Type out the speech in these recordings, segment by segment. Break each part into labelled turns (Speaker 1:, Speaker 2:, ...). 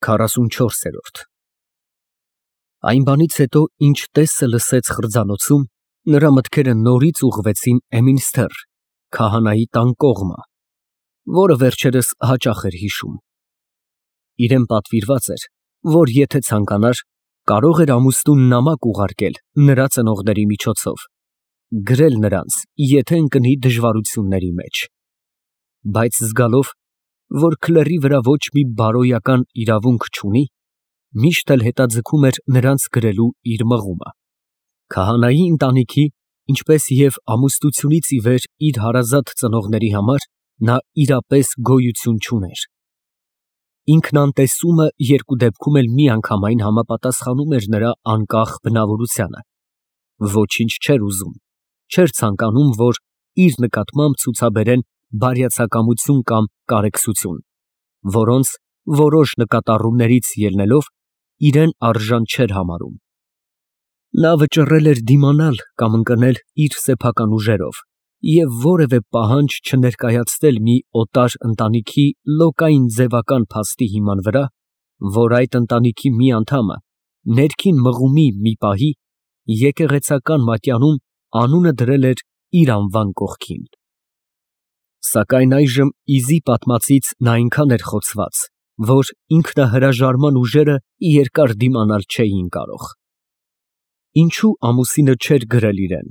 Speaker 1: 44 Այն բանից հետո, ինչ տեսը լսեց խրձանոցում, նրա մտքերը նորից ուղղվեցին Էմինստր, քահանայի տան կողմը, որը վերջերս հաճախ էր հիշում։ Իրեն պատվիրված էր, որ եթե ցանկանար, կարող էր ամուսնուն նամակ ուղարկել նրա ծնողների միջոցով, գրել նրանց, եթե ընկնի դժվարությունների մեջ։ Բայց զգալով, որ քլերի վրա ոչ մի բարոյական իրավունք չունի, միշտ էլ հետաձգում էր նրանց գրելու իր մղումը։ Քահանայի ընտանիքի, ինչպես և ամուսնությունից ի վեր իր հարազատ ծնողների համար նա իրապես գոյություն չուներ։ Ինքնանտեսումը երկու դեպքում էլ միանգամայն համապատասխանում էր նրա անկախ բնավորությանը։ Ոչինչ չէր ուզում, չէր ցանկանում, որ իր նկատմամբ ցուցաբերեն բարյացակամություն կամ կարեկցություն, որոնց որոշ նկատառումներից ելնելով իրեն արժան չէր համարում։ Նա վճռել էր դիմանալ կամ ընկնել իր սեփական ուժերով և որևէ պահանջ չներկայացնել մի օտար ընտանիքի լոկային ձևական փաստի հիման վրա, որ այդ ընտանիքի մի անդամը ներքին մղումի մի պահի եկեղեցական մատյանում անունը դրել էր իր անվան կողքին։ Սակայն այժմ Իզի պատմածից նա այնքան էր խոցված, որ ինքնահրաժարման ուժերը երկար դիմանալ չէին կարող։ Ինչու ամուսինը չէր գրել իրեն։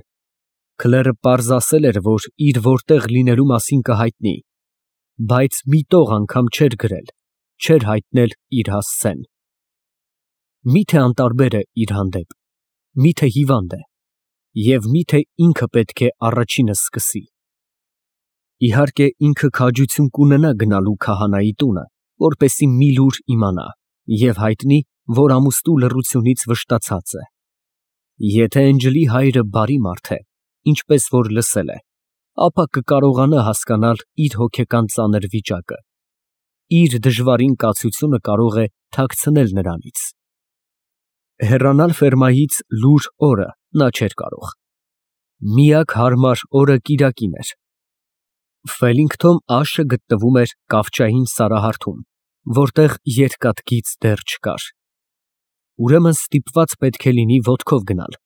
Speaker 1: Քլերը պարզ ասել էր, որ իր որտեղ լինելու մասին կհայտնի, բայց մի տող անգամ չէր գրել, չէր հայտնել իր հասցեն։ Մի՞թե անտարբեր է իր հանդեպ, մի՞թե հիվանդ է, և մի՞թե ինքը պետք է առաջինը սկսի։ Իհարկե, ինքը քաջություն կունենա գնալու քահանայի տունը, որպեսզի մի լուր իմանա և հայտնի, որ ամուսնու լռությունից վշտացած է։ Եթե Էնջլի հայրը բարի մարդ է, ինչպես որ լսել է, ապա կկարողանա հասկանալ իր հոգեկան ծանր վիճակը։ Իր դժվարին կացությունը կարող է թաքցնել նրանից։ Հեռանալ ֆերմայից լուռ օրը նա չէր կարող։ Միակ հարմար օրը կիրակին էր։ Ֆելինգթոն աշը գտնվում էր կավճային սարահարթում, որտեղ երկաթգիծ դեռ չկար։ Ուրեմն ստիպված պետք է լինի ոտքով գնալ։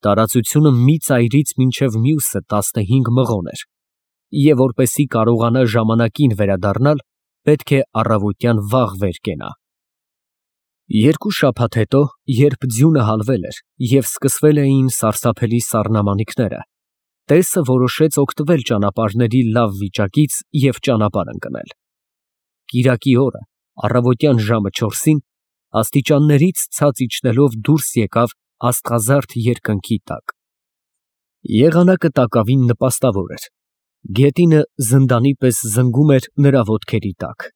Speaker 1: Տարածությունը մի ծայրից մինչև մյուսը 15 մղոն էր, և որպեսզի կարողանա ժամանակին վերադառնալ, պետք է առավոտյան վաղ վեր կենա։ Երկու շաբաթ հետո, երբ ձյունը հալվել էր և սկսվել էին սարսափելի սառնամանիքները, տեսը որոշեց օգտվել ճանապարհների լավ վիճակից և ճանապարհ ընկնել։ Կիրակի օրը, առավոտյան ժամը 4-ին, աստիճաններից ցած իջնելով դուրս եկավ աստղազարդ երկնքի տակ։ Եղանակը տակավին նպաստավոր էր։ Գետինը զնդանի պես զնգում էր նրա ոտքերի տակ։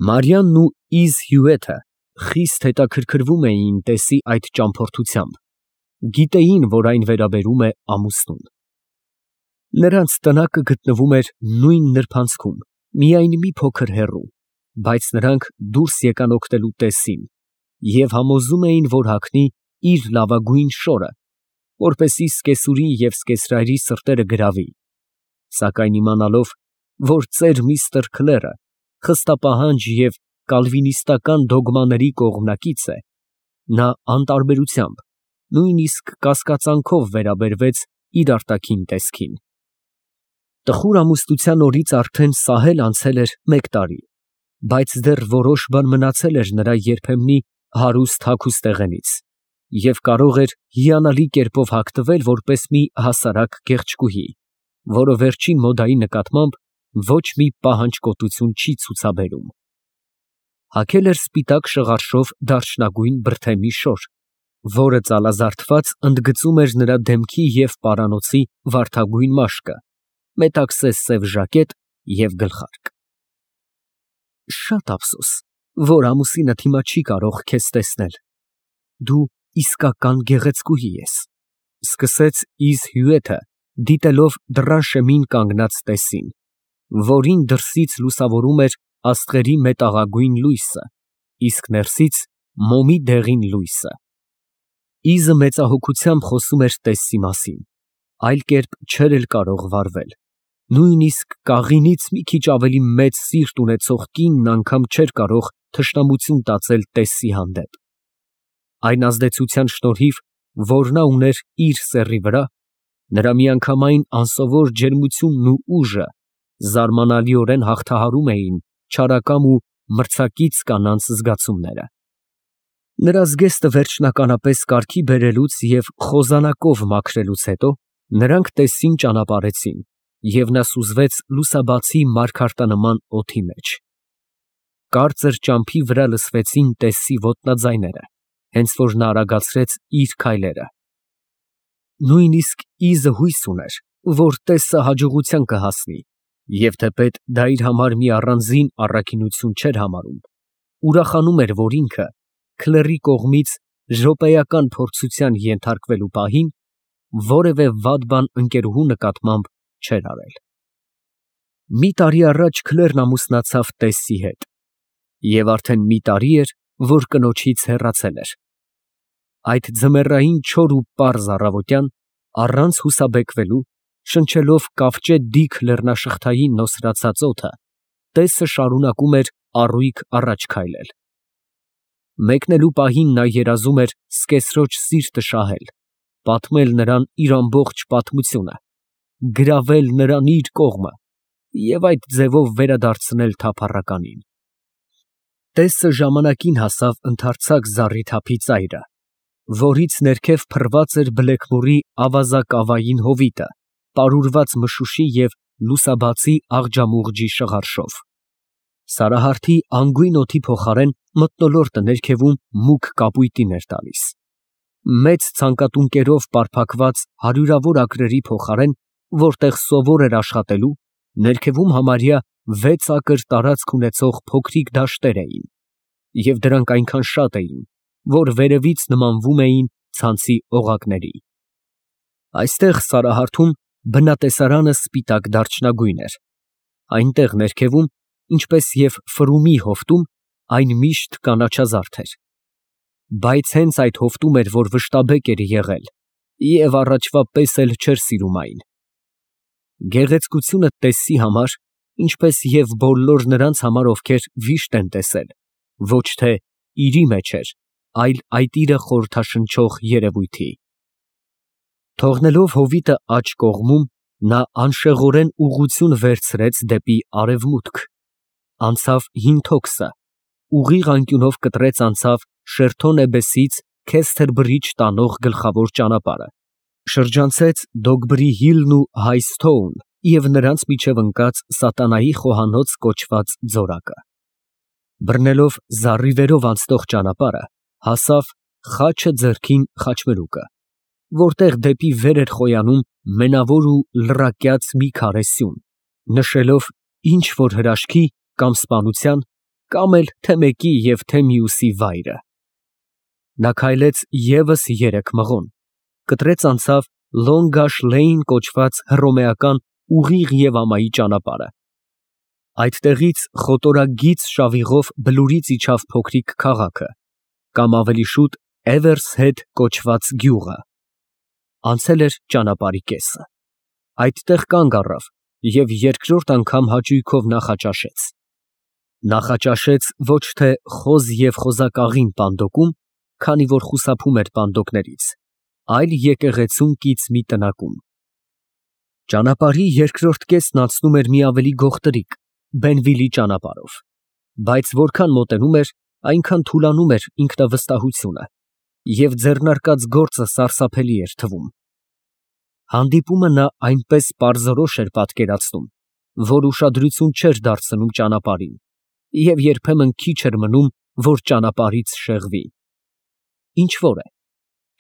Speaker 1: Մարիամն ու Իզ հյուրերը խիստ հետաքրքրվում էին տեսի այդ ճամփորդությամբ, գիտեին, որ այն վերաբերում է ամուսնուն։ Նրանց տնակը գտնվում էր նույն նրբանցքում, միայն մի փոքր հեռու, բայց նրանք դուրս եկան օգնելու տեսին և համոզում էին, որ հագնի իր լավագույն շորը, որպեսզի սկեսուրի և սկեսրայրի սրտերը գրավի, սակայն իմանալով, որ ծեր միստր Քլերը խստապահանջ և կալվինիստական դոգմաների կողմնակից է, նա անտարբերությամբ, նույնիսկ կասկածանքով վերաբերվեց իր արտաքին տեսքին։ Տխուր ամուսնության օրից արդեն սահել անցել էր 1 տարի, բայց դեռ որոշ բան մնացել էր նրա երբեմնի հարուստ հագուստեղենից և կարող էր հիանալի կերպով հագնվել որպես մի հասարակ գեղեցկուհի, որը վերջին մոդայի նկատմամբ ոչ մի պահանջկոտություն չի ցուցաբերում։ Հագել էր սպիտակ շղարշով դարչնագույն բրդեմի շոր, որը ծալազարդված ընդգծում էր նրա դեմքի և պարանոցի վարդագույն մաշկը, մետաքսե սև ժակետ և գլխարկ։ Շատ ափսոս, որ ամուսինդ հիմա չի կարող քեզ տեսնել։ Դու իսկական գեղեցկուհի ես, ֊ սկսեց Իզ հյուրերը, դիտելով դռան շեմին կանգնած տեսին, որին դրսից լուսավորում էր աստղերի մետաղագույն լույսը, իսկ ներսից մոմի դեղին լույսը։ Իզը մեծահոգությամբ խոսում էր տեսի մասին, այլ կերպ չէր էլ կարող վարվել։ Նույնիսկ կաղինից մի քիչ ավելի մեծ սիրտ ունեցող կինն անգամ չէր կարող թշնամություն տածել տեսի հանդեպ։ Այն ազդեցության շնորհիվ, որ նա ուներ իր սեռի վրա, նրա միանգամայն անսովոր ջերմությունն ու ուժը զարմանալիորեն հաղթահարում էին չարակամ ու մրցակից կանանց զգացումները։ Նրա զգեստը վերջնականապես կարգի բերելուց և խոզանակով մաքրելուց հետո նրանք տեսին ճանապարհեցին, և նա սուզվեց լուսաբացի մարգարտանման օդի մեջ։ Կարծր ճամփի վրա լսվեցին տեսի ոտնաձայները, հենց որ նա արագացրեց իր քայլերը։ Նույնիսկ իզը հույս ուներ, որ տեսը հաջողության կհասնի, և թեպետ դա իր համար մի առանձին առաքինություն չէր համարում, ուրախանում էր, որ ինքը քլերի կողմից րոպեական փորձության ենթարկվելու պահին որևէ վատ բան ընկերուհու նկատմամբ չէր արել։ Մի տարի առաջ Քլերն ամուսնացավ տեսի հետ, և արդեն մի տարի էր, որ կնոջից հեռացել էր։ Այդ ձմեռային չոր ու պարզ առավոտյան, առանց հուսաբեկվելու, շնչելով կավճետ լեռնաշղթային նոսրացած օդը, տեսը շարունակում էր առույգ առաջ քայլել։ Մեկնելու պահին նա երազում էր սկեսրոջ սիրտը շահել, պատմել նրան իր ամբողջ պատմությունը, գրավել նրան իր կողմը և այդ ձևով վերադարձնել թափառականին։ Տեսը ժամանակին հասավ ընդարձակ զառիթափի ծայրը, որից ներքև փռված էր բլեքմորի ավազակավային հովիտը, պարուրված մշուշի և լուսաբացի աղջամուղջի շղարշով։ Սարահարթի անգույն օդի փոխարեն մթնոլորտը ներքևում մուգ կապույտին էր տալիս։ Մեծ ցանկատունկերով պարփակված հարյուրավոր ակրերի փոխարեն, որտեղ սովոր էր աշխատելու, ներքևում համարյա 6 ակր տարածք ունեցող փոքրիկ դաշտեր էին, և դրանք այնքան շատ էին, որ վերևից նմանվում էին ցանցի օղակների։ Այստեղ Սարահարթում բնատեսարանը սպիտակ դարչնագույն էր, այնտեղ ներքևում, ինչպես և Ֆրումի հովտում, այն միշտ կանաչազարդ էր։ Բայց հենց այդ հովտում էր, որ վշտաբեկ էր եղել և առաջվա պես էլ չէր սիրում այն։ Գեղեցկությունը տեսի համար, ինչպես և բոլոր նրանց համար, ովքեր վիշտ են տեսել, ոչ թե իրի մեջ էր, այլ այդ իրը խորհրդաշնչող երևույթի։ Թողնելով հովիտը աջ կողմում, նա անշեղորեն ուղղություն վերցրեց դեպի արևմուտք, անցավ հին թոքսը, ուղիղ անկյունով կտրեց անցավ Շերթոնեբեսից Քեսթերբրիջ տանող գլխավոր ճանապարհը, շրջանցեց Դոգբրի Հիլն ու Հայսթոուն և նրանց միջև ընկած Սատանայի խոհանոց կոչված ձորակը։ Բռնելով զառիվերով անցնող ճանապարհը, հասավ Խաչը ձեռքին խաչմերուկը, որտեղ դեպի վեր էր խոյանում մենավոր ու լռակյաց մի քարե սյուն, նշելով ինչ֊որ հրաշքի կամ սպանության, կամ էլ թե մեկի և թե մյուսի վայրը։ Նա քայլեց ևս 3 մղոն, կտրեց անցավ Լոնգաշ Լեյն կոչված հռոմեական ուղիղ և ամայի ճանապարհը։ Այդտեղից խոտորագիծ շավիղով բլուրից իջավ փոքրիկ քաղաքը, կամ ավելի շուտ Էվերսհեդ կոչված գյուղը։ Անցել էր ճանապարհի կեսը։ Այդտեղ կանգ առավ և երկրորդ անգամ հաճույքով նախաճաշեց։ Նախաճաշեց ոչ թե խոզ և խոզակաղին պանդոկում, քանի որ խուսափում էր պանդոկներից, այլ եկեղեցում կից մի տնակում։ Ճանապարհի երկրորդ կեսն անցնում էր մի ավելի գողտրիկ, Բենվիլի ճանապարհով, բայց որքան մոտենում էր, այնքան թուլանում էր ինքնավստահությունը, և ձեռնարկած գործը սարսափելի էր թվում։ Հանդիպումը նա այնպես պարզորոշ էր պատկերացնում, որ ուշադրություն չէր դարձնում ճանապարհին և երբեմն քիչ էր մնում, որ ճանապարհից շեղվի։ Ինչ֊որ է,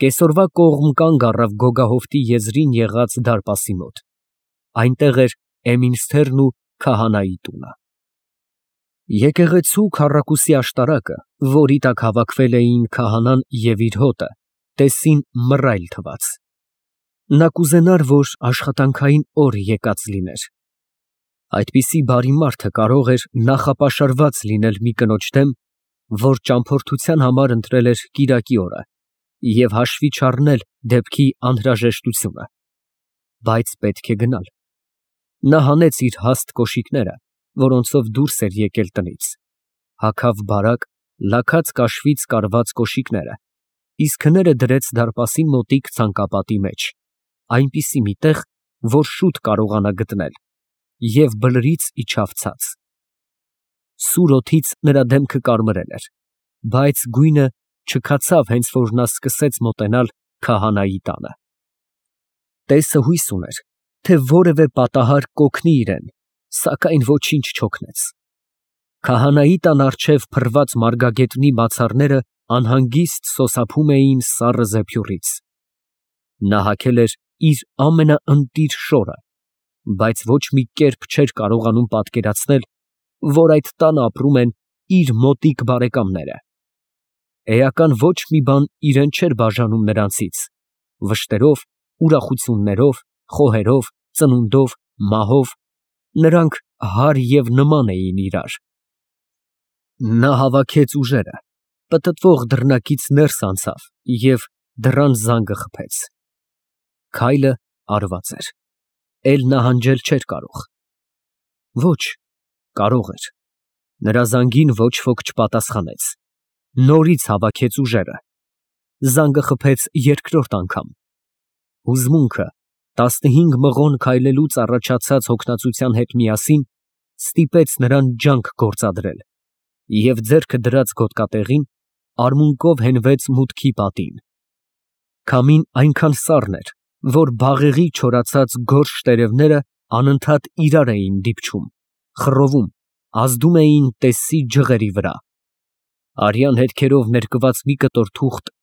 Speaker 1: կեսօրվա կողմ կանգ առավ գոգահովտի եզրին եղած դարպասի մոտ։ Այնտեղ էր Էմինսթերն ու քահանայի տունը։ Եկեղեցու քառակուսի աշտարակը, որի տակ հավաքվել էին քահանան և իր հոտը, տեսին մռայլ թվաց։ Նա կուզենար, որ աշխատանքային օր եկած լիներ։ Այդպիսի բարի մարդը կարող էր նախապաշարված լինել մի կնոջ դեմ, որ ճամփորդության համար ընտրել էր կիրակի օրը, և հաշվի չառնել դեպքի անհրաժեշտությունը։ Բայց պետք է գնալ։ Նա հանեց իր հաստ կոշիկները, որոնցով դուրս էր եկել տնից, Հագավ բարակ, լաքած կաշվից կարված կոշիկները, իսկ հները դրեց դարպասին մոտիկ ցանկապատի մեջ, այնպիսի մի տեղ, որ շուտ կարողանա գտնել, և բլրից իջավ ցած։ Սուր օդից նրա դեմքը կարմրել էր, բայց գույնը չքացավ, հենց որ նա սկսեց մոտենալ քահանայի տանը։ Տեսը հույս ուներ, թե որևէ պատահար կօգնի իրեն, սակայն ոչինչ չօգնեց։ Քահանայի տան առջև փռված մարգագետնի բացառները անհանգիստ սոսափում էին սառը զեփյուռից։ Նա հագել էր իր ամենաընտիր շորը, բայց ոչ մի կերպ չէր կարողանում պատկերացնել, որ այդ տանը ապրում են իր մոտիկ բարեկամները։ Էական ոչ մի բան իրեն չէր բաժանում նրանցից, վշտերով, ուրախություններով, խոհերով, ծնունդով, մահով, նրանք հարկ և նման էին իրար։ Նա հավաքեց ուժերը, պտտվող դռնակից ներս անցավ և դռան զանգը խփեց։ Քայլը արված էր, էլ նահանջել չէր կարող։ Ոչ, կարող էր։ Նրա զանգին ոչ ոք չպատասխանեց։ Նորից հավաքեց ուժերը։ Զանգը խփեց երկրորդ անգամ։ Հուզմունքը 15 մղոն քայլելուց առաջացած հոգնածության հետ միասին ստիպեց նրան ջանք գործադրել և ձեռքը դրած գոտկատեղին արմունկով հենվեց մուտքի պատին։ Քամին այնքան սառն էր, որ բաղեղի չորացած գորշ տերևները անընդհատ իրար էին դիպչում, խռովում, ազդում էին տեսի ջղերի վրա։ Արյան հետքերով ներկված մի կտոր թուղթ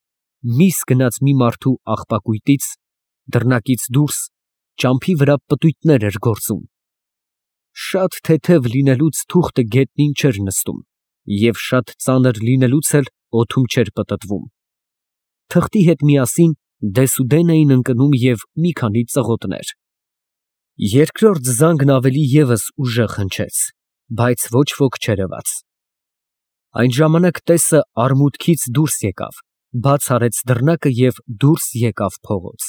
Speaker 1: միս գնաց մի մարդու աղբակույտից, դռնակից դուրս ճամփի վրա պտույտներ էր գործում։ Շատ թեթև լինելուց թուղթը գետնին չէր նստում և շատ ծանր լինելուց էլ օդում չէր պտտվում։ Թղթի հետ միասին դեսուդեն էին ընկնում և մի քանի ծղոտներ։ Երկրորդ զանգն ավելի ևս ուժեղ հնչեց, բայց ոչ ոք չերևաց։ Այն ժամանակ տեսը արմունկից դուրս եկավ, բաց արեց դռնակը և դուրս եկավ փողոց։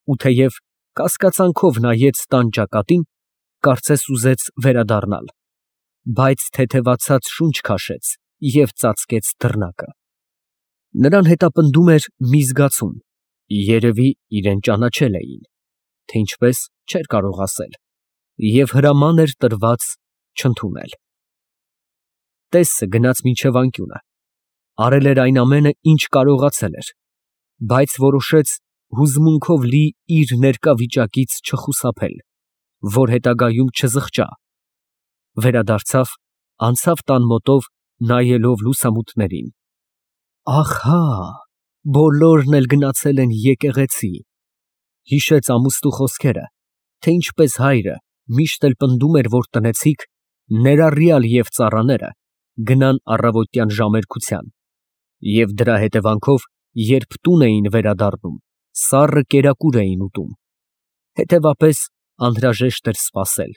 Speaker 1: Ու թեև կասկածանքով նայեց տան ճակատին, կարծես ուզեց վերադառնալ, բայց թեթևացած շունչ քաշեց և ծածկեց դռնակը։ Նրան հետապնդում էր մի զգացում, երևի իրան ճանաչել էին, թե ինչպես չէր կարող ասել, և հրաման էր տրված չընդունել։ Տեսը գնաց մինչև անկյունը, արել էր այն ամենը, ինչ կարողացել էր, բայց որոշեց հուզմունքով լի իր ներկա վիճակից չխուսափել, որ հետագայում չզղջա, վերադարձավ, անցավ տան մոտով, նայելով լուսամուտներին։ Ահա, բոլորն էլ գնացել են եկեղեցի, հիշեց ամուսնու խոսքերը, թե ինչպես հայրը միշտ էլ պնդում էր, որ տնեցիք, ներառյալ և ծառաները, գնան առավոտյան ժամերգության, և դրա հետևանքով, երբ տուն էին վերադառնում, սառը կերակուր էին ուտում, հետևապես անհրաժեշտ էր սպասել,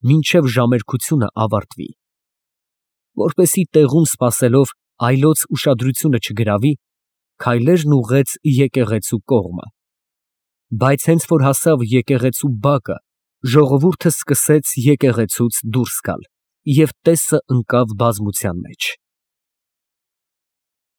Speaker 1: մինչև ժամերգությունը ավարտվի։ Որպեսզի տեղում սպասելով այլոց ուշադրությունը չգրավի, քայլերն ուղղեց եկեղեցու կողմը։ Բայց հենց որ հասավ եկեղեցու բակը, ժողովուրդը սկսեց եկեղեցուց դուրս գալ, և տեսը ընկավ բազմության մեջ։